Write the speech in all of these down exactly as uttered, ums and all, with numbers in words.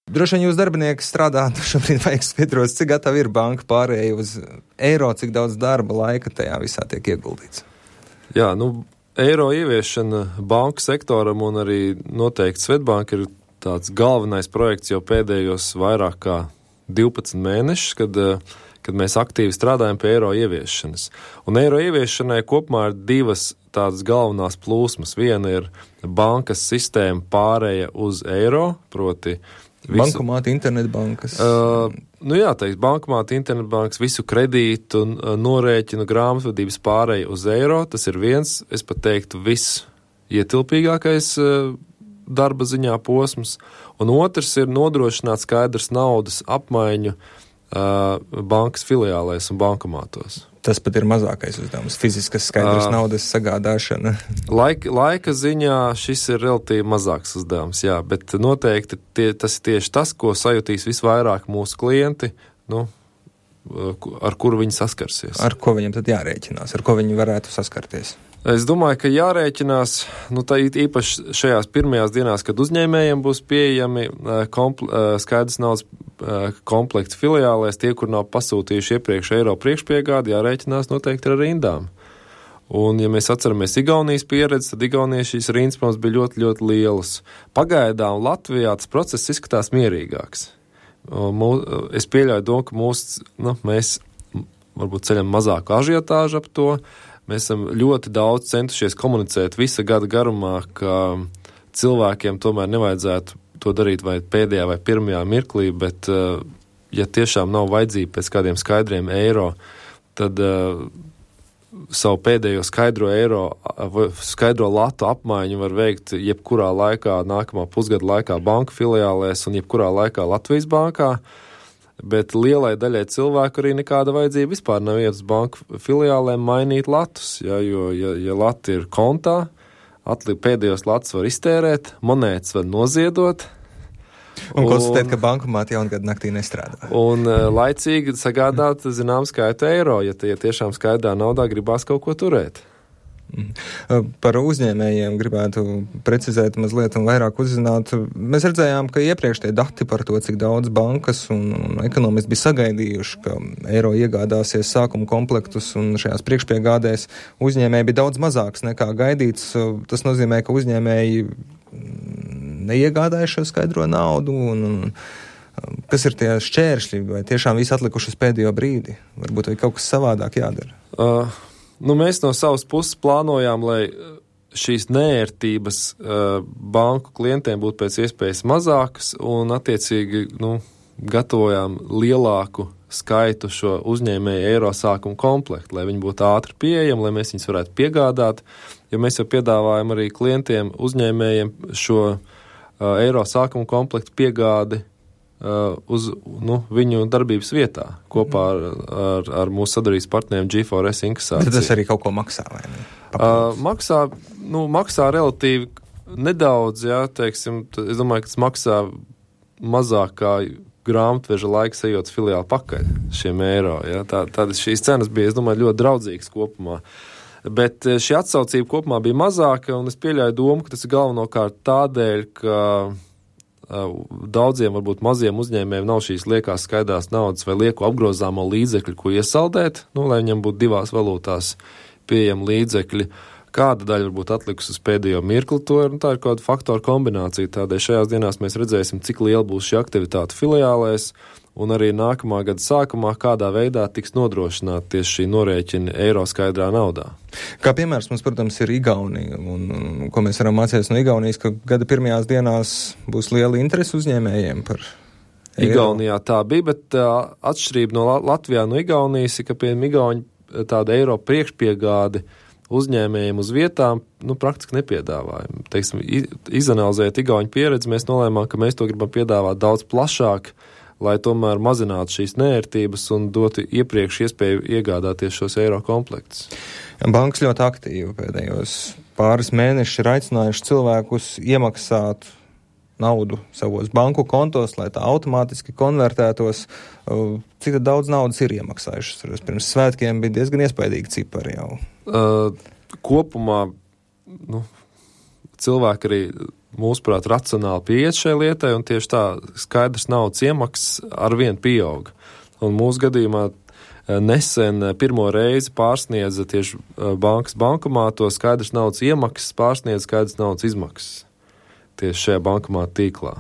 Droši vien jūs darbinieki strādāt, šobrīd vajag skaidros, cik gatavi ir banka pārējai uz eiro, cik daudz darba laika tajā visā tiek ieguldīts. Jā, nu, eiro ieviešana banku sektoram un arī noteikti Svetbanka ir tāds galvenais projekts jau pēdējos vairāk kā divpadsmit mēnešus, kad, kad mēs aktīvi strādājam pie eiro ieviešanas. Un eiro ieviešanai kopumā ir divas tādas galvenās plūsmas. Viena ir bankas sistēma pārēja uz eiro, proti visu, bankomāti, internetbankas. Uh, nu jā, teiks, bankomāti, internetbankas, visu kredītu, uh, norēķinu, grāmatvedības pārēja uz eiro. Tas ir viens, es pat teiktu, viss ietilpīgākais uh, darba ziņā posms. Un otrs ir nodrošināt skaidrs naudas apmaiņu uh, bankas filiālēs un bankomātos. Tas pat ir mazākais uzdevums, fiziskas skaidras uh, naudas sagādāšana. Laika, laika ziņā šis ir relatīvi mazāks uzdevums, jā, bet noteikti tie, tas ir tieši tas, ko sajutīs visvairāk mūsu klienti, nu, ar kuru viņi saskarsies. Ar ko viņam tad jārēķinās, ar ko viņi varētu saskarties? Es domāju, ka jārēķinās, nu, tā īpaši šajās pirmajās dienās, kad uzņēmējiem būs pieejami kompl- skaidrs naudas komplekts filiālēs, tie, kur nav pasūtījuši iepriekš eiro priekšpiegādi, jārēķinās noteikti ar rindām. Un, ja mēs atceramies Igaunijas pieredzi, tad Igaunijas šīs rindas mums bija ļoti, ļoti lielas. Pagaidām Latvijā tas process izskatās mierīgāks. Mū, es pieļauju domu, ka mūs, nu, mēs varbūt ceļam mazāku ažiotāžu ap to. Mēs esam ļoti daudz centušies komunicēt visa gada garumā, ka cilvēkiem tomēr nevajadzētu to darīt vai pēdējā vai pirmajā mirklī, bet ja tiešām nav vajadzība pēc kādiem skaidriem eiro, tad uh, savu pēdējo skaidro eiro, skaidro latu apmaiņu var veikt jebkurā laikā, nākamā pusgada laikā banku filiālēs un jebkurā laikā Latvijas bankā. Bet lielai daļai cilvēku arī nekāda vajadzība vispār nav iet uz banku filiālēm mainīt latus, ja, jo, ja, ja lati ir kontā, atli, pēdējos latus var iztērēt, monētas var noziedot. Un, un konstatēt, ka bankomāti jaungada naktī nestrādā. Un uh, laicīgi sagādāt, zinām, skaitu eiro, ja tie tiešām skaidrā naudā gribās kaut ko turēt. Par uzņēmējiem gribētu precizēt mazliet un vairāk uzzināt. Mēs redzējām, ka iepriekš tie dati par to, cik daudz bankas un, un ekonomisti bija sagaidījuši, ka eiro iegādāsies sākuma komplektus un šajās priekšpiegādēs uzņēmēji bija daudz mazāks nekā gaidīts. Tas nozīmē, ka uzņēmēji neiegādāja šo skaidro naudu un, un kas ir tie šķēršļi vai tiešām visi atlikuši uz pēdējo brīdi? Varbūt vai kaut kas savādāk jādara? Uh. Nu, mēs no savas puses plānojām, lai šīs neērtības uh, banku klientiem būtu pēc iespējas mazākas un attiecīgi nu, gatavojām lielāku skaitu šo uzņēmēju eiro sākumu komplektu, lai viņi būtu ātri pieejami, lai mēs viņus varētu piegādāt, jo mēs jau piedāvājam arī klientiem, uzņēmējiem šo uh, eiro sākumu komplektu piegādi Uh, uz nu, viņu darbības vietā kopā ar, ar, ar mūsu sadarbības partneriem G four S inkasāciju. Tad tas arī kaut ko maksā, vai ne? Uh, maksā, nu, maksā relatīvi nedaudz, jā, teiksim, es domāju, ka tas maksā mazāk kā grāmatveža laiks ejot filiāli pakaļ šiem eiro, jā. Tā, tādas šīs cenas bija, es domāju, ļoti draudzīgas kopumā. Bet šī atsaucība kopumā bija mazāka, un es pieļauju domu, ka tas ir galvenokārt tādēļ, ka daudziem, varbūt maziem uzņēmējiem nav šīs liekās skaidrās naudas vai lieku apgrozāmo līdzekļu, ko iesaldēt, nu, lai viņam būtu divās valūtās pieejami līdzekļi. Kāda daļa varbūt atlikusi uz pēdējo mirkli, to ir, nu, tā ir kāda faktoru kombinācija. Tādēļ šajās dienās mēs redzēsim, cik liela būs šī aktivitāte filiālēs, un arī nākamā gada sākumā, kādā veidā tiks nodrošināta tieši šī norēķina eiro skaidrā naudā. Kā piemērs mums, protams, ir Igaunija, un, un ko mēs varam mācīties no Igaunijas, ka gada pirmajās dienās būs liela interese uzņēmējiem par eiro. Igaunijā tā bija, bet uh, atšķirība no Latvijā no Igaunijas ir, ka pie Igauņa tāda eiro priekšpiegādi uzņēmējiem uz vietām, nu, praktiski nepiedāvājam. Teiksim, izanalizējot Igauņu pieredzi, mēs nolēmām, ka mēs to gribam piedāvāt daudz plašāk, lai tomēr mazinātu šīs neērtības un dotu iepriekš iespēju iegādāties šos eiro komplektus. Bankas ļoti aktīvi pēdējos pāris mēnešus ir aicinājuši cilvēkus iemaksāt naudu savos banku kontos, lai tā automātiski konvertētos. Cik daudz naudas ir iemaksājušas? Pirms svētkiem bija diezgan iespaidīgi cipari jau. Uh, kopumā, nu, cilvēki arī mūsuprāt, racionāli pieiet šai lietai, un tieši tā skaidrs naudas iemaksas arvien pieauga. Un mūsu gadījumā nesen pirmo reizi pārsniedza tieši bankas bankomātos skaidrs naudas iemaksas, pārsniedza skaidrs naudas izmaksas tieši šajā bankomāta tīklā.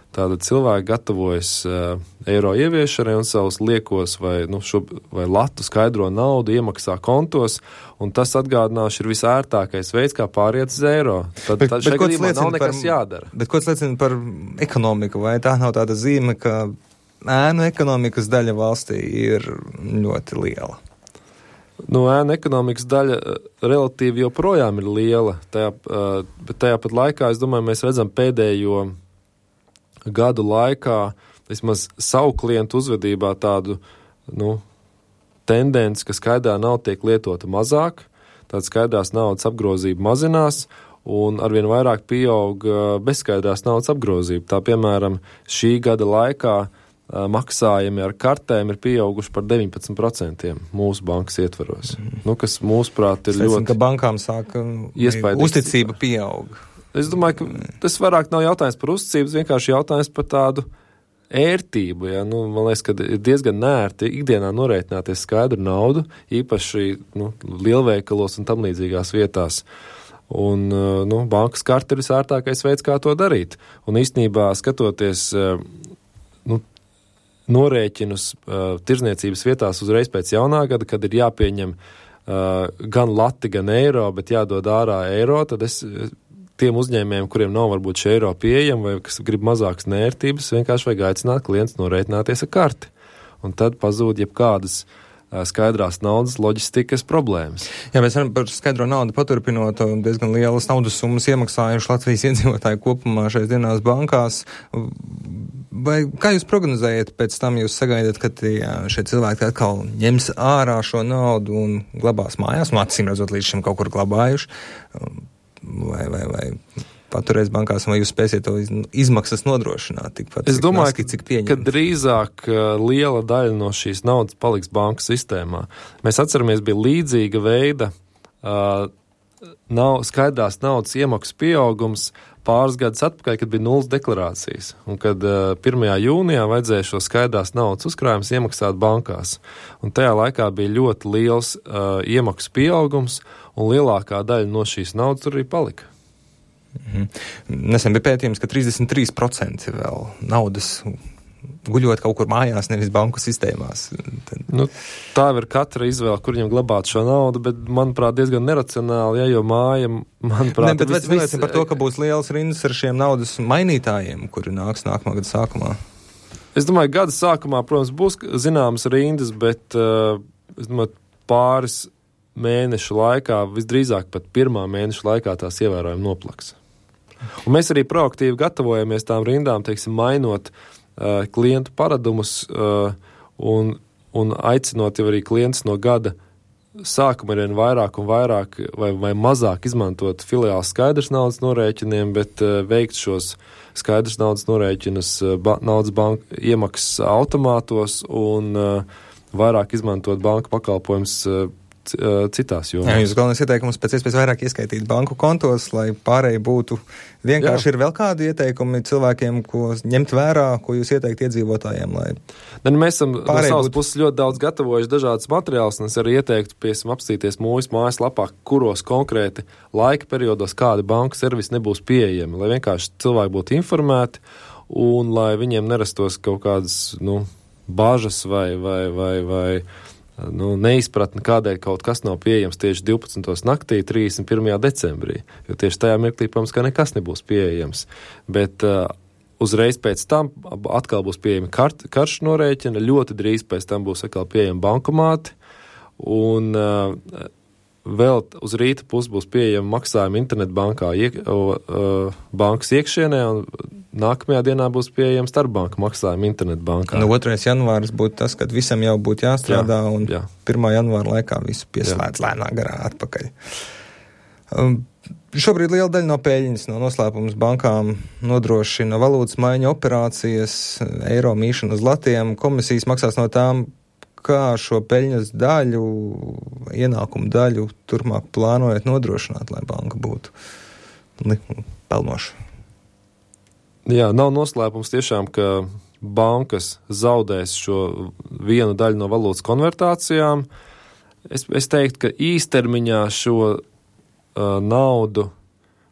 Tātad cilvēki gatavojas uh, eiro ieviešanai un savus liekos vai, nu, šo, vai latu skaidro naudu iemaksā kontos, un tas atgādināšu ir visērtākais veids, kā pāriet uz eiro. Tad, bet, tad šajā gadījumā nav nekas par, jādara. Bet ko tas liecina par ekonomiku? Vai tā nav tāda zīme, ka ēnu ekonomikas daļa valstī ir ļoti liela? Nu, ēnu ekonomikas daļa relatīvi joprojām ir liela, tajā, uh, bet tajā pat laikā, es domāju, mēs redzam pēdējo gadu laikā, vismaz savu klientu uzvedībā tādu, nu, tendenci, ka skaidā nauda tiek lietota mazāk, tāda skaidrās naudas apgrozība mazinās, un arvien vairāk pieaug bezskaidrās naudas apgrozība. Tā, piemēram, šī gada laikā maksājumi ar kartēm ir pieauguši par deviņpadsmit procentiem mūsu bankas ietvaros. Mm. Nu, kas mūsuprāt ir Sēsim, ļoti... ka bankām sāka uzticība pieaug. Es domāju, ka tas vairāk nav jautājums par uzticības, vienkārši jautājums par tādu ērtību. Ja? Nu, man liekas, ka ir diezgan nērti ikdienā norēķināties skaidru naudu, īpaši nu, lielveikalos un tam līdzīgās vietās. Un nu, bankas karte ir visērtākais veids, kā to darīt. Un īstenībā skatoties nu, norēķinus tirzniecības vietās uzreiz pēc jaunā gada, kad ir jāpieņem gan lati, gan eiro, bet jādod ārā eiro, tad es... tiem uzņēmējiem, kuriem nav varbūt šī eiro pieejama vai kas grib mazākas nērtības, vienkārši vajag aicināt klients norēķināties ar karti. Un tad pazūd jebkādas skaidrās naudas loģistikas problēmas. Jā, mēs varam par skaidro naudu paturpinot, diezgan lielas naudas summas iemaksājuši Latvijas iedzīvotāji kopumā šais dienās bankās. Vai kā jūs prognozējat pēc tam, jūs sagaidat, ka tie, šie cilvēki atkal ņems ārā šo naudu un glabās mājās, un acīm redzot līdz šim kaut kur glabājuši? Vai, vai, vai paturēs bankās, vai jūs spēsiet to izmaksas nodrošināt tikpat? Es domāju, naski, cik pieņemt? Ka drīzāk liela daļa no šīs naudas paliks banku sistēmā. Mēs atceramies, bija līdzīga veida uh, nav, skaidrās naudas iemaksas pieaugums pāris gadus atpakaļ, kad bija nulles deklarācijas. Un kad uh, pirmajā jūnijā vajadzēja šo skaidrās naudas uzkrājumus iemaksāt bankās. Un tajā laikā bija ļoti liels uh, iemaksas pieaugums, un lielākā daļa no šīs naudas tur arī palika. Mm-hmm. Nesen bija pētījums, ka trīsdesmit trīs procenti vēl naudas guļot kaut kur mājās, nevis banku sistēmās. Tad... Nu, tā ir katra izvēle, kur viņam glabāt šo naudu, bet, manuprāt, diezgan neracionāli, ja, jo māja, manuprāt... Ne, bet vis, vis, par to, ka būs liels rindas ar šiem naudas mainītājiem, kuri nāks nākamā gada sākumā. Es domāju, gada sākumā, protams, būs zināmas rindas, bet, uh, es domāju, pāris mēnešu laikā, visdrīzāk pat pirmā mēneša laikā tās ievērojami noplaks. Un mēs arī proaktīvi gatavojamies tām rindām, teiksim, mainot uh, klientu paradumus uh, un, un aicinot jau arī klientus no gada sākuma arvien vairāk un vairāk vai, vai mazāk izmantot filiāls skaidrs naudas norēķiniem, bet uh, veikt šos skaidrs naudas norēķinus uh, ba- naudas banka iemaksas automātos un uh, vairāk izmantot banka pakalpojums uh, citās jomās. Jā, jūs galvenais ieteikums pēc iespējas vairāk ieskaitīt banku kontos, lai pārēji būtu vienkārši. Jā. Ir vēl kādi ieteikumi cilvēkiem, ko ņemt vērā, ko jūs ieteikt iedzīvotājiem, lai ne, mēs esam no savas būt... puses ļoti daudz gatavojuši dažādas materiālus, un es arī ieteiktu, piemēram, apstīties mūsu mājaslapā, kuros konkrēti laika periodos kādi banku servisi nebūs pieejami, lai vienkārši cilvēki būtu informēti un lai viņiem nerastos kaut kādas, nu, bažas vai, vai, vai, vai nu, neizpratni, kādēļ kaut kas nav pieejams tieši divpadsmitajā naktī, trīsdesmit pirmajā decembrī, jo tieši tajā mirklī, protams, ka nekas nebūs pieejams. Bet uh, uzreiz pēc tam atkal būs pieejami kart, karšu norēķina, ļoti drīz pēc tam būs atkal pieejami bankomāti, un uh, vēl uz rīta puses būs pieejami maksājumi internetbankā, iek, uh, bankas iekšienē, un nākamajā dienā būs pieejams starpbanku maksājumi internetbankā. Nu, otrais janvāris būtu tas, kad visam jau būtu jāstrādā, jā, un jā. pirmā janvāra laikā visu pieslēdz lēnā garā atpakaļ. Um, šobrīd liela daļa no peļņas, no noslēpums bankām nodrošina valūtas maiņa operācijas, eiro mīšana uz latiem, komisijas maksās no tām, kā šo peļņas daļu, ienākumu daļu turpmāk plānojat nodrošināt, lai banka būtu pelnoša? Jā, nav noslēpums tiešām, ka bankas zaudēs šo vienu daļu no valūtas konvertācijām. Es, es teiktu, ka īstermiņā šo uh, naudu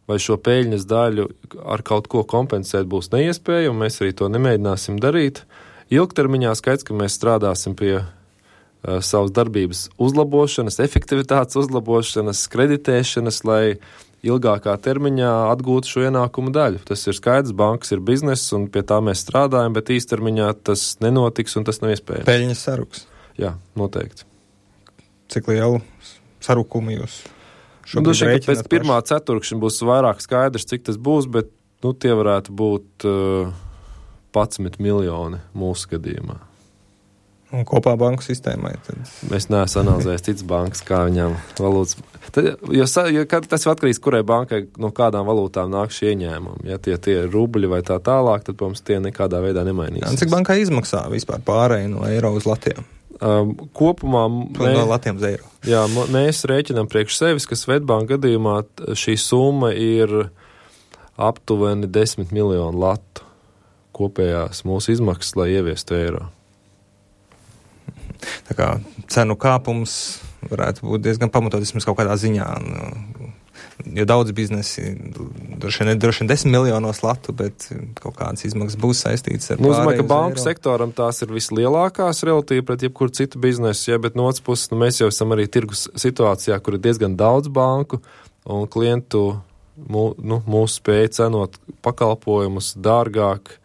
vai šo peļņas daļu ar kaut ko kompensēt būs neiespēja, un mēs arī to nemēģināsim darīt. Ilgtermiņā skaidrs, ka mēs strādāsim pie uh, savas darbības uzlabošanas, efektivitātes uzlabošanas, kreditēšanas, lai ilgākā termiņā atgūtu šo ienākumu daļu. Tas ir skaidrs, bankas ir bizness, un pie tā mēs strādājam, bet īstermiņā tas nenotiks, un tas nav iespējams. Peļņas saruks. Jā, noteikti. Cik lielu sarukumu jūs šobrīd rēķināt? Nu, pēc pirmā ceturkšņa būs vairāk skaidrs, cik tas būs, bet nu, tie varētu būt uh, padsmit miljoni mūsu gadījumā. Un kopā banku sistēmai? Tad... Mēs neesam analizējis citas bankas, kā viņām valūtas. Tad, jo, jo tas ir atkarīgs, kurai bankai no kādām valūtām nāk šie ieņēmumi. Ja tie, tie ir rubļi vai tā tālāk, tad, protams, tie nekādā veidā nemainīsies. Jā, cik bankai izmaksā vispār pārēju no eiro uz latiem? Um, kopumā mē, no latiem uz eiro. Jā, mēs rēķinām priekš sevis, ka Svetbanka gadījumā šī summa ir aptuveni desmit miljonu latu kopējās mūsu izmaksas, lai ieviestu eiro. Tā kā cenu kāpums varētu būt diezgan pamatots vismaz kaut kādā ziņā. Nu, jo daudz biznesi, droši vien, droši vien desmit miljonos latu, bet kaut kādas izmaksas būs saistītas ar nu, pārēju uz domāju, ka banku eiro. sektoram tās ir vislielākās relatīvi pret jebkuru citu biznesu, ja, bet no otras puses, nu, mēs jau esam arī tirgus situācijā, kur ir diezgan daudz banku un klientu mū, nu, mūsu spēja cenot pakalpojumus dārgāk.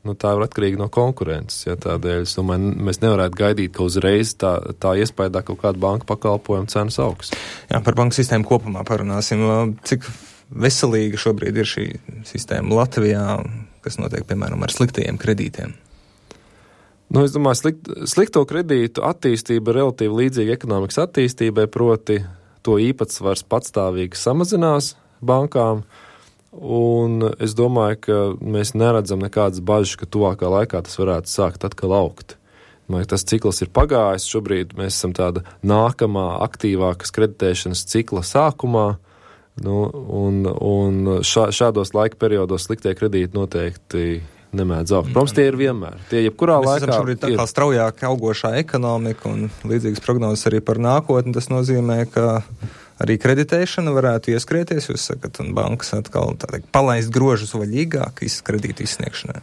Nu, tā ir atkarīga no konkurences. Ja, tādēļ es domāju, mēs nevarētu gaidīt, ka uzreiz tā, tā iespējā kaut kāda banka pakalpojuma cenas augs. Jā, par banku sistēmu kopumā parunāsim. Cik veselīga šobrīd ir šī sistēma Latvijā, kas notiek, piemēram, ar sliktajiem kredītiem? Nu, es domāju, slikt, slikto kredītu attīstība ir relatīvi līdzīga ekonomikas attīstībai, proti to īpatsvars patstāvīgi samazinās bankām. Un es domāju, ka mēs neredzam nekādas bažas, ka tuvākā laikā tas varētu sākt atkal augt. Domāju, tas cikls ir pagājis, šobrīd mēs esam tāda nākamā aktīvākas kreditēšanas cikla sākumā, nu, un, un šā, šādos laika periodos sliktie kredīti noteikti nemēdz augt. Protams, tie ir vienmēr. Tie jebkurā mēs laikā esam šobrīd tā kā ir straujāk augošā ekonomika un līdzīgas prognozes arī par nākotni. Tas nozīmē, ka arī kreditēšana varētu ieskrieties, jūs sakat, un bankas atkal tā teikt, palaist grožus vaļīgāk kredītu izsniegšanai.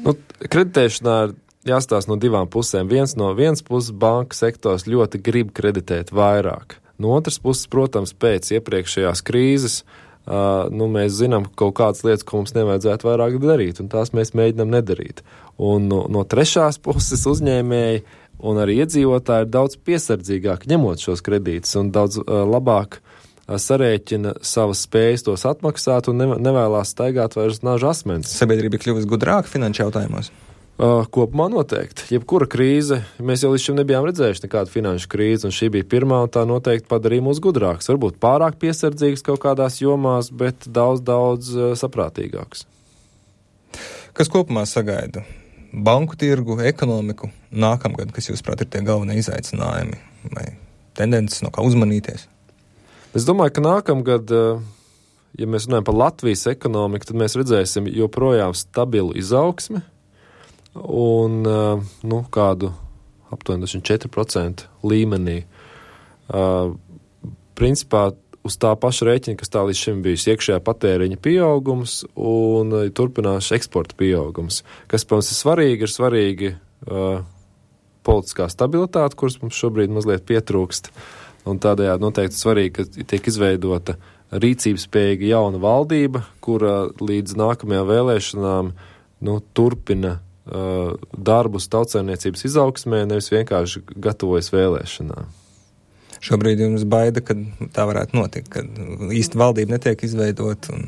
Nu, kreditēšanā ir jāstāsta no divām pusēm. Viens no vienas puses banka sektors ļoti grib kreditēt vairāk. No otras puses, protams, pēc iepriekšējās krīzes, uh, nu, mēs zinām kaut kādas lietas, ko mums nevajadzētu vairāk darīt, un tās mēs mēģinām nedarīt. Un no, no trešās puses uzņēmēji un arī iedzīvotāji ir daudz piesardzīgāk ņemot šos kredītus un daudz uh, labāk uh, sarēķina savas spējas tos atmaksāt un ne, nevēlās staigāt vairs nažu asmens. Sabiedrība kļuvusi gudrāka finanšu jautājumos? Uh, kopumā noteikti. Jebkura krīze, mēs jau līdz šim nebijām redzējuši nekādu finanšu krīzi, un šī bija pirmā, un tā noteikti padarīja mūs gudrāks. Varbūt pārāk piesardzīgs kaut kādās jomās, bet daudz, daudz uh, saprātīgāks. Kas kopumā sagaida banku tirgu, ekonomiku nākamgad, kas jūs prāt ir tie galvenie izaicinājumi vai tendences, no kā uzmanīties? Es domāju, ka nākamgad, ja mēs runājam par Latvijas ekonomiku, tad mēs redzēsim joprojām stabilu izaugsmi un nu, kādu aptuveni četri procenti līmenī. Principā uz tā paša rēķina, kas tā līdz šim bijis iekšējā patēriņa pieaugums un turpinās eksporta pieaugums. Kas, protams, ir svarīgi, ir svarīgi uh, politiskā stabilitāte, kuras mums šobrīd mazliet pietrūkst, un tādējādi noteikti svarīgi, ka tiek izveidota rīcības spējīga jauna valdība, kura līdz nākamajām vēlēšanām nu, turpina uh, darbus tautsaimniecības izaugsmē, nevis vienkārši gatavojas vēlēšanām. Šobrīd jums baida, ka tā varētu notikt, kad īsti valdība netiek izveidot. Un...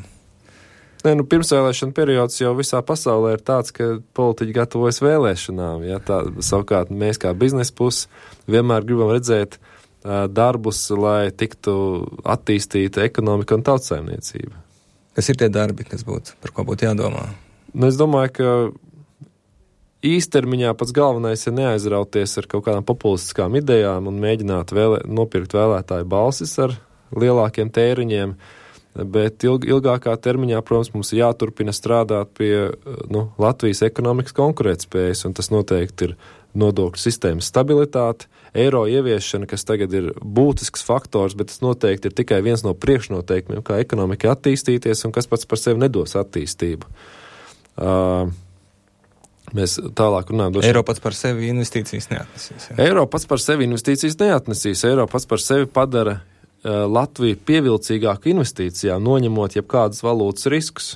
Nē, nu, pirmsvēlēšana periods jau visā pasaulē ir tāds, ka politiķi gatavojas vēlēšanām. Ja? Tā, savukārt mēs kā biznesa pusi vienmēr gribam redzēt uh, darbus, lai tiktu attīstīta ekonomika un tautsaimniecība. Kas ir tie darbi, kas būtu, par ko būtu jādomā? Nu, es domāju, ka īstermiņā pats galvenais ir neaizrauties ar kaut kādām populistiskām idejām un mēģināt vēlē, nopirkt vēlētāju balsis ar lielākiem tēriņiem. bet ilg, ilgākā termiņā, protams, mums ir jāturpina strādāt pie nu, Latvijas ekonomikas konkurētspējas, un tas noteikti ir nodokļu sistēmas stabilitāte, eiro ieviešana, kas tagad ir būtisks faktors, bet tas noteikti ir tikai viens no priekšnoteikumiem, kā ekonomika attīstīties un kas pats par sevi nedos attīstību. Uh, Mēs tālāk runājam. Eiro pats par sevi investīcijas neatnesīs. Jā. Eiro pats par sevi investīcijas neatnesīs. Eiro pats par sevi padara uh, Latviju pievilcīgāku investīcijām, noņemot jebkādas valūtas riskus.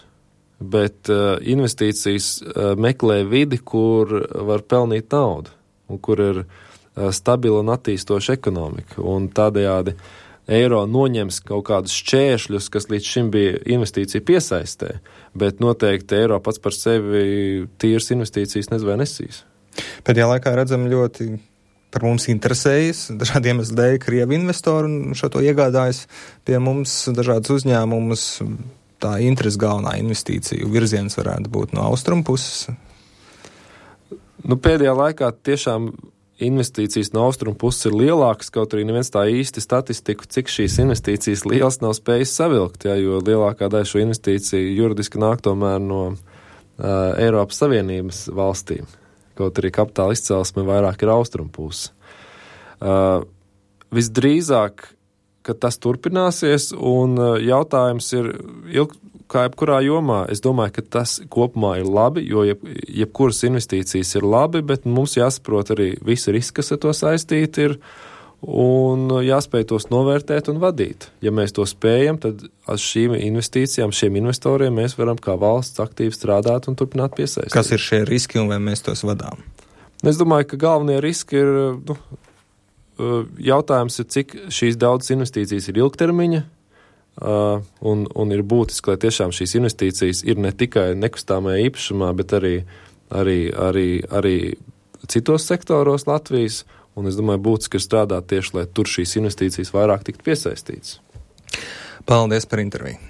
Bet uh, investīcijas uh, meklē vidi, kur var pelnīt naudu un kur ir uh, stabila un attīstoša ekonomika. Un tādējādi eiro noņems kaut kādus šķēršļus, kas līdz šim bija investīcija piesaistē, bet noteikti eiro pats par sevi tīras investīcijas nezvai nesīs. Pēdējā laikā redzam ļoti par mums interesējas dažādi iemesli dēļ Krievu investori un šo to iegādājas pie mums dažādas uzņēmumus. Tā interesi galvenā investīciju virziens varētu būt no austrumu puses. Nu, pēdējā laikā tiešām investīcijas no austrumu puses ir lielākas, kaut arī neviens tā īsti statistiku, cik šīs investīcijas lielas nav spējis savilkt, ja, jo lielākā daļa šo investīciju juridiski nāk tomēr no uh, Eiropas Savienības valstīm, kaut arī kapitāla izcelsme vairāk ir austrumu puse. Uh, visdrīzāk, ka tas turpināsies, un uh, jautājums ir ilg, kā jebkurā jomā, es domāju, ka tas kopumā ir labi, jo jeb, jebkuras investīcijas ir labi, bet mums jāsaprot arī visi riski, kas ar to saistīti ir, un jāspēj tos novērtēt un vadīt. Ja mēs to spējam, tad ar šīm investīcijām, šiem investoriem mēs varam kā valsts aktīvi strādāt un turpināt piesaistīt. Kas ir šie riski un vai mēs tos vadām? Es domāju, ka galvenie riski ir, nu, jautājums ir, cik šīs daudzas investīcijas ir ilgtermiņa, Uh, un, un ir būtiski, lai tiešām šīs investīcijas ir ne tikai nekustāmajā īpašumā, bet arī, arī, arī, arī citos sektoros Latvijas, un es domāju, būtiski ir strādāt tieši, lai tur šīs investīcijas vairāk tiktu piesaistītas. Paldies par interviju.